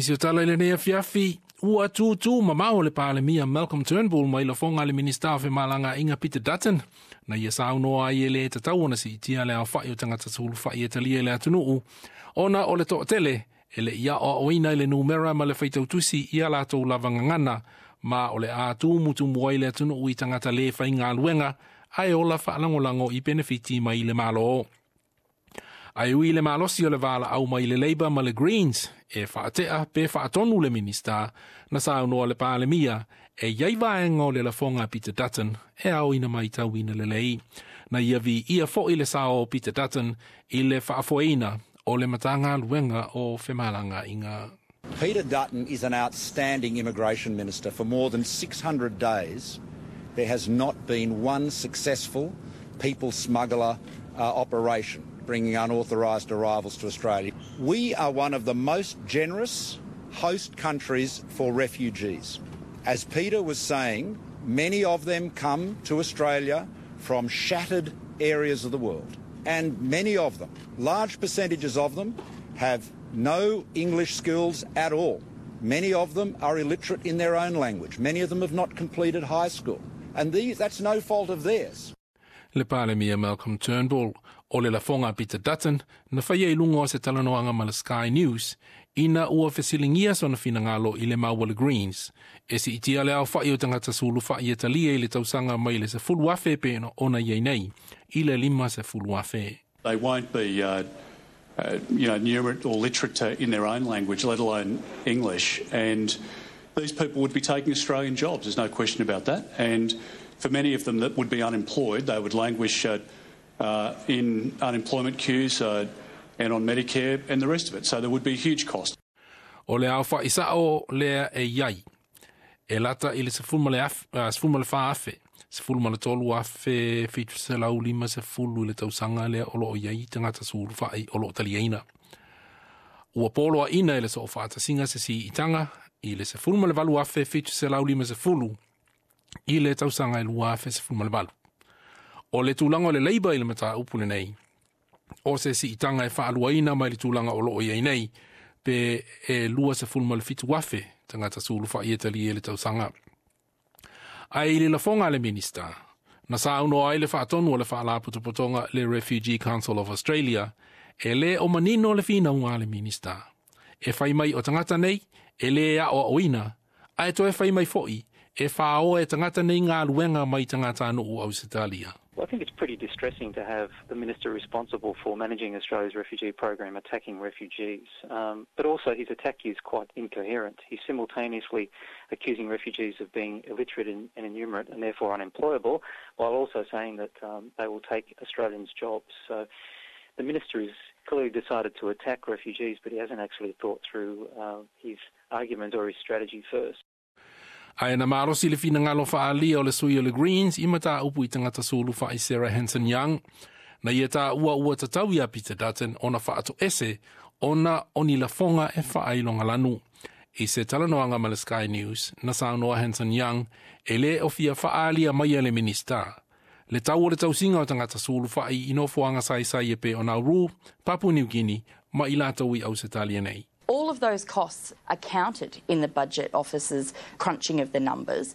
nisi o tala i lenei afiafi, ua tūtū mamao le Palemia Malcolm Turnbull mai lafoga a le Minisita o Femalagaaiga Peter Dutton, na ia saunoa ai e lē tatau ona siitia le aofa'i o tagata sulufai e talia i le atunu'u, ona o le to'atele e le'i a'oa'oina i le numera ma le faitautusi ia latou lava gagana, ma o le a tumutumu ai le atunu'u i tagata lē faigaluega ae ola fa'alagolago i penefiti mai le Mālō. Ae ui le malosi o le valaau mai le Labour ma le Greens e faate'a pe faatonu le Minista, na saunoa le Palemia e iai vaega o le lafoga a Peter Dutton e aoina maitauina lelei. Na ia viia fo'i le sao o Peter Dutton i le faafoeina o le Matagaluega o Femalagaaiga. Peter Dutton is an outstanding immigration minister. For more than 600 days, there has not been one successful people smuggler operation bringing unauthorised arrivals to Australia. We are one of the most generous host countries for refugees. As Peter was saying, many of them come to Australia from shattered areas of the world. And many of them, large percentages of them, have no English skills at all. Many of them are illiterate in their own language. Many of them have not completed high school. And that's no fault of theirs. Le Palemia Malcolm Turnbull. O le lafoga a Peter Dutton na faia i luga o se talanoaga ma le Sky News ina ua fesiligia sona finagalo i le mau a le Greens e siitia le aofa'i o tagata sulufa'i e talia i le tausaga mai le 10,000 pe ona iai nei i le 50,000. They won't be numerate or literate in their own language, let alone English. And these people would be taking Australian jobs, there's no question about that. And for many of them that would be unemployed, they would languish in unemployment queues and on Medicare and the rest of it. So there would be a huge cost. O le aofa'i sa'o lea e iai, e lata i le 14,000, 13,750 i le tausaga lea o lo'o i ai tagata sulufa'i o lo'o taliaina. Ua poloaʻina e le Soofaatasiga se siitaga i le 18,750 i le tausaga e 2018. O le tulaga o le Labour i le mataupu lenei, o se siitaga e faaluaina mai le tulaga o loo i ai nei, pe e 27,000 tagata sulufa'i e talia i le tausaga. Ae i le lafoga a le Minista, na saunoa ai le faatonu o le faalapotopotoga le Refugee Council of Australia, e lē o manino le finauga a le Minista. E fai mai o tagata nei e lē a'oa'oina, ae toe fai mai fo'i e fāoa e tagata nei galuega mai tagatanuu Ausetalia. Well, I think it's pretty distressing to have the minister responsible for managing Australia's refugee program attacking refugees. But also his attack is quite incoherent. He's simultaneously accusing refugees of being illiterate and innumerate and therefore unemployable, while also saying that they will take Australians' jobs. So the minister has clearly decided to attack refugees, but he hasn't actually thought through his argument or his strategy first. Ae na malosi le finagalo faaalia o le sui o le Greens i mataupu i tagata sulufa'i Sarah Hanson Young, na ia taua ua tatau iā Peter Dutton ona faatoese ona o ni lafoga e faailogalanu. I se talanoaga ma le Sky News, na saunoa Hanson Young e lē o fia faaalia mai e le Minista le tau o le tausiga o tagata sulufa'i i nofoaga saisai e pei o Nauru, Papua New Guinea ma i latou i Ausetalia nei. All of those costs are counted in the Budget Office's crunching of the numbers.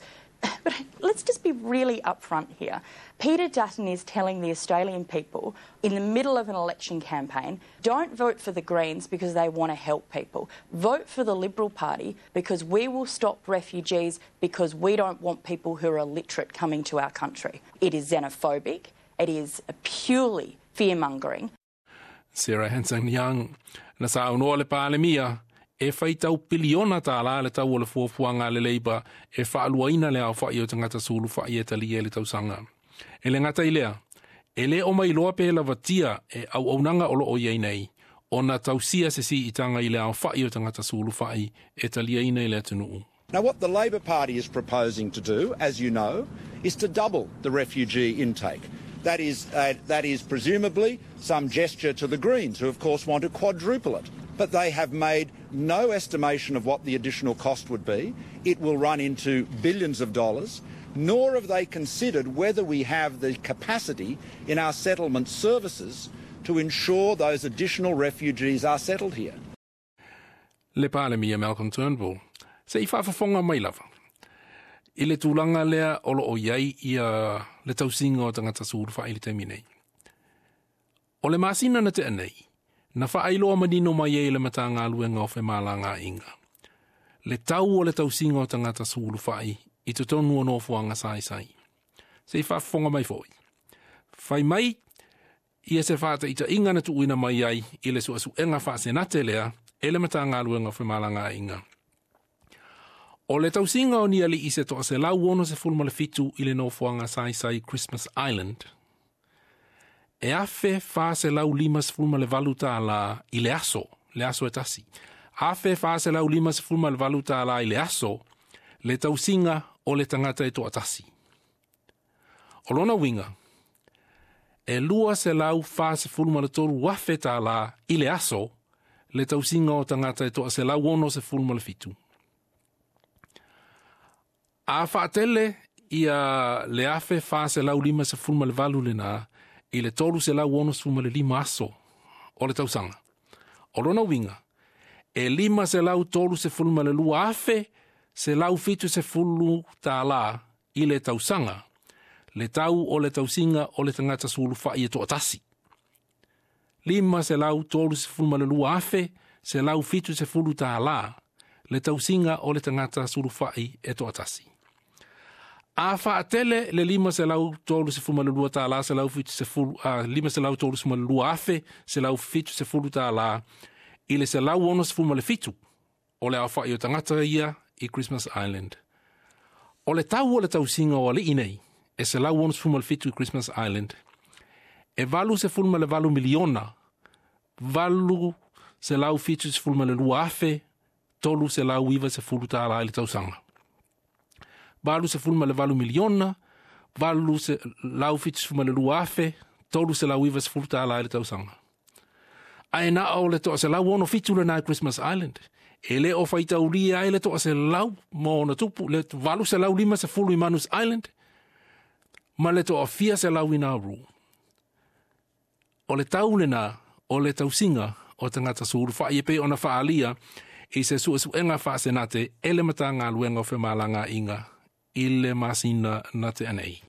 But let's just be really upfront here. Peter Dutton is telling the Australian people in the middle of an election campaign, don't vote for the Greens because they want to help people. Vote for the Liberal Party because we will stop refugees because we don't want people who are illiterate coming to our country. It is xenophobic. It is purely fear-mongering. Sarah Hanson Young. Na saunoa le Palemia e faitau piliona tālā le tau o le fuafuaga a le Labour e faaluaina le aofa'i o tagata sulufa'i e talia i le tausaga. E le gata i lea, e lē o mailoa pe lavatia e auaunaga o loo i ai nei ona tausia se siitaga i le aofa'i o tagata sulufa'i e taliaina i le atunuu. Now, what the Labor Party is proposing to do, as you know, is to double the refugee intake. That is presumably some gesture to the Greens, who of course want to quadruple it. But they have made no estimation of what the additional cost would be. It will run into billions of dollars. Nor have they considered whether we have the capacity in our settlement services to ensure those additional refugees are settled here. Le Palemia Malcolm Turnbull. Se i faafofoga mai lava i le tulaga lea o loo i ai ia le tausiga o tagata sulufai i le taimi nei. O le masina na tea nei, na faailoa manino mai ai le Matagaluega o Femalagaaiga. Le tau o le tausiga o tagata sulufai i totonu o nofoaga saisai. Se i faafofoga mai foi. Fai mai ia se faataitaiga na tuuina mai ai i le suesuega faasenate lea e le Matagaluega o Femalagaaiga. O le tausiga o ni alii se 167 i le nofoaga saisai Christmas Island, e $1,458 i le aso, le aso e tasi. $1,458 i le aso, le tausiga o le tagata e toatasi. O lona uiga, e $243,000 i le aso, le tausiga o tagata e 167. A faatele ia le 1,458 lena i le 365 aso o le tausaga. O lona uiga, e $532,170 i le tausaga, le tau o le tausiga o le tagata sulufai e toatasi. $532,170 le tausiga o le tagata sulufai e toatasi. A faatele le $532 170, $532,170 i le 167 o le aofai o tagata ia i Christmas Island. O le tau o le tausiga o alii nei, e 167 i Christmas Island, e 88 miliona, 872,390 $390 i le tausaga. 88 miliona, 872,390 $390 i le tausaga. Ae na o le 167 lena i Christmas Island. E le o faitaulia ai le 100 ma ona tupu, le 850 i Manus Island, ma le 400 i Nauru. O le tau lena, o le tausiga o tagata sulufai e pei ona faaalia i se suesuega faasenate e le Matagaluega o Femalagaaiga i le masina na tea nei.